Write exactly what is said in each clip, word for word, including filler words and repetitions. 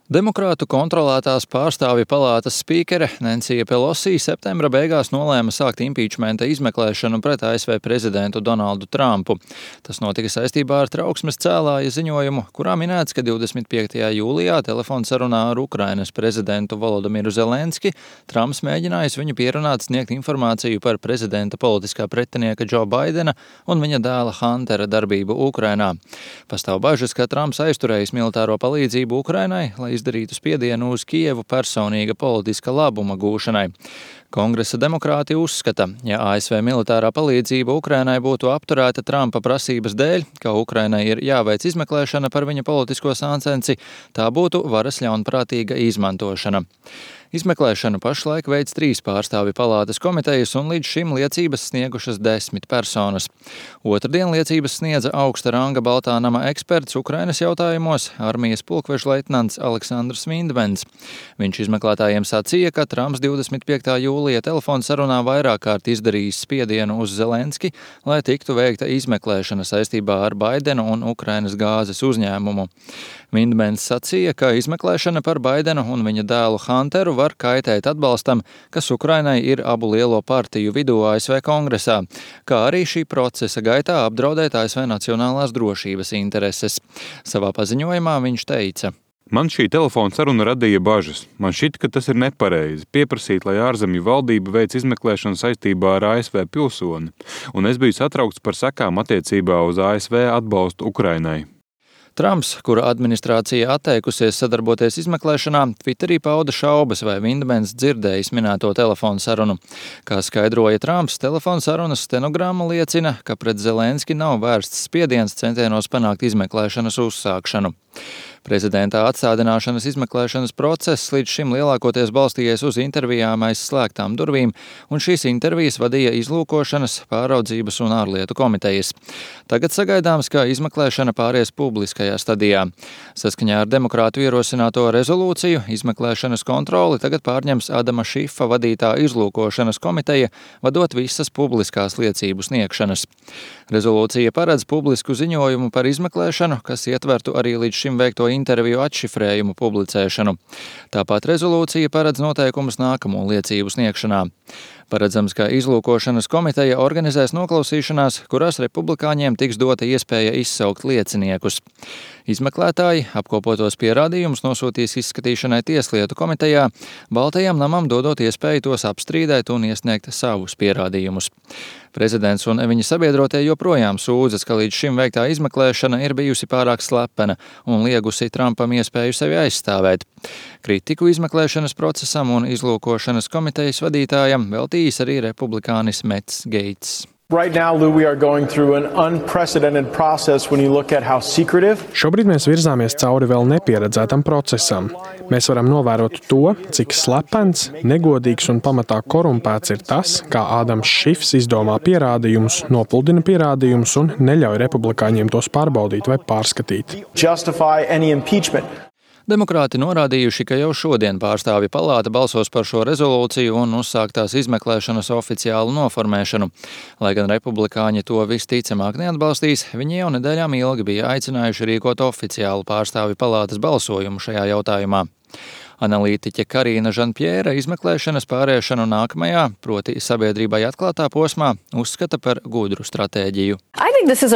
Demokrātu kontrolētās pārstāvju palātas spīkere Nensija Pelosi septembra beigās nolēma sākt impīčmenta izmeklēšanu pret A S V prezidentu Donaldu Trumpu. Tas notika saistībā ar trauksmes cēlāja ziņojumu, kurā minēts, ka divdesmit piektajā jūlijā telefonsarunā ar Ukrainas prezidentu Volodimiru Zelenski Trumps mēģinājis viņu pierunāt sniegt informāciju par prezidenta politiskā pretinieka Džo Baidena un viņa dēla Huntera darbību Ukrainā. Pastāv bažas, ka Trumps aizturējis militāro palīdzību Ukrainai, lai izdarītu spiedienu uz Kijevu personīga politiska labuma gūšanai. Kongresa demokrāti uzskata, ja A S V militārā palīdzība Ukrainai būtu apturēta Trumpa prasības dēļ, ka Ukrainai ir jāveic izmeklēšana par viņa politisko sāncensi, tā būtu varas ļaunprātīga izmantošana. Izmeklēšanu pašlaik veic trīs pārstāvju palātas komitejas un līdz šim liecības sniegušas desmit personas. Otrdien liecības sniedza augsta ranga Baltā nama eksperts Ukrainas jautājumos, armijas pulkveža leitnants Aleksandrs Vindmens. Viņš izmeklētājiem sacīja, ka Trumps divdesmit piektā jūlija telefonsarunā vairāk kārt izdarījis spiedienu uz Zelenski, lai tiktu veikta izmeklēšana saistībā ar Baidenu un Ukrainas gāzes uzņēmumu. Vindmens sacīja, ka izmeklēšana par Baidenu un viņa dēlu Hunteru var kaitēt atbalstam, kas Ukrainai ir abu lielo partiju vidū A S V kongresā, kā arī šī procesa gaitā apdraudēt A S V nacionālās drošības intereses. Savā paziņojumā viņš teica: Man šī telefona saruna radīja bažas. Man šķita, ka tas ir nepareizi pieprasīt, lai ārzemju valdība veic izmeklēšanu saistībā ar A S V pilsoni, un es biju satraukts par sekām attiecībā uz A S V atbalstu Ukrainai. Trumps, kura administrācija atteikusies sadarboties izmeklēšanā, Twitterī pauda šaubas, vai Vindmens dzirdējis minēto telefonu sarunu. Kā skaidroja Trumps, telefonu sarunas stenogramma liecina, ka pret Zelenski nav vērsts spiediens centienos panākt izmeklēšanas uzsākšanu. Prezidenta atstādināšanas izmeklēšanas process līdz šim lielākoties balstījies uz intervijām aiz slēgtām durvīm, un šīs intervijas vadīja izlūkošanas, pāraudzības un ārlietu komitejas. Tagad sagaidāms, ka izmeklēšana pāries publiskajā stadijā. Saskaņā ar demokrātu ierosināto rezolūciju izmeklēšanas kontroli tagad pārņems Adama Šifa vadītā izlūkošanas komiteja, vadot visas publiskās liecību sniegšanas. Rezolūcija paredz publisku ziņojumu par izmeklēšanu, kas ietvertu arī līdz šim veikto interviju atšifrējumu publicēšanu. Tāpat rezolūcija paredz noteikumus nākamo liecību sniegšanā. Paredzams, ka izlūkošanas komiteja organizēs noklausīšanās, kurās republikāņiem tiks dota iespēja izsaukt lieciniekus. Izmeklētāji apkopotos pierādījumus nosūtīs izskatīšanai Tieslietu komitejā, Baltajam namam dodot iespēju tos apstrīdēt un iesniegt savus pierādījumus. Prezidents un viņa sabiedrotie joprojām sūdzas, ka līdz šim veiktā izmeklēšana ir bijusi pārāk slepena un liegusi Trumpam iespēju sevi aizstāvēt. Kritiku izmeklēšanas procesam un izlūkošanas komitejas vadītājam veltījis arī republikānis Mets Gates. Right now, Lou, we are going through an unprecedented process when you look at how secretive. Šobrīd mēs virzāmies cauri vēl nepieredzētam procesam. Mēs varam novērot to, cik slepens, negodīgs un pamatā korumpēts ir tas, kā Ādams Šifs izdomā pierādījumus, nopuldina pierādījumus un neļauj republikāņiem tos pārbaudīt vai pārskatīt. Justify any impeachment. Demokrāti norādījuši, ka jau šodien pārstāvju palāta balsos par šo rezolūciju un uzsāktās izmeklēšanas oficiālu noformēšanu. Lai gan republikāņi to visticamāk neatbalstīs, viņi jau nedēļām ilgi bija aicinājuši rīkot oficiālu pārstāvju palātas balsojumu šajā jautājumā. Analītiķe Karīna Žanpjēra izmeklēšanas pāriešanu nākamajā, proti sabiedrībai atklātā posmā, uzskata par gudru stratēģiju. Es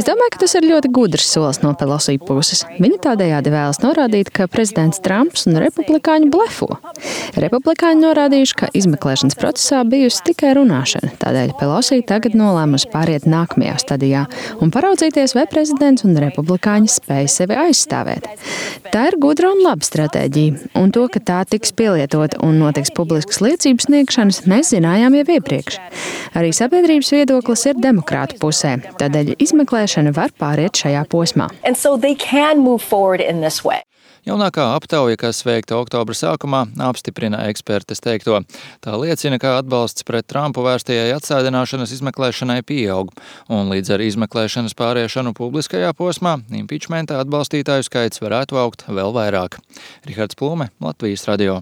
domāju, ka tas ir ļoti gudrs solis no Pelosi puses. Viņa tādējādi vēlas norādīt, ka prezidents Trumps un republikāņi blefo. Republikāņi norādījuši, ka izmeklēšanas procesā bijusi tikai runāšana, tādēļ Pelosi tagad nolēmusi pāriet nākamajā stadijā un paraudzīties, vai prezidents un republikāņi spēj sevi aizstāvēt. Tā ir gudra un laba stratēģija, un to, ka tā tiks pielietota un notiks publiskas liecības sniegšanas, mēs zinājām jau iepriekš. Arī sabiedrības viedoklis ir demokrātu pusē, tādēļ izmeklēšana var pāriet šajā posmā. Jaunākā aptauja, kas veikta oktobra sākumā, apstiprina ekspertes teikto. Tā liecina, ka atbalsts pret Trumpu vērstajai atsēdināšanas izmeklēšanai pieaug, un līdz ar izmeklēšanas pāriešanu publiskajā posmā impičmenta atbalstītāju skaits varētu augt vēl vairāk. Rihards Plūme, Latvijas radio.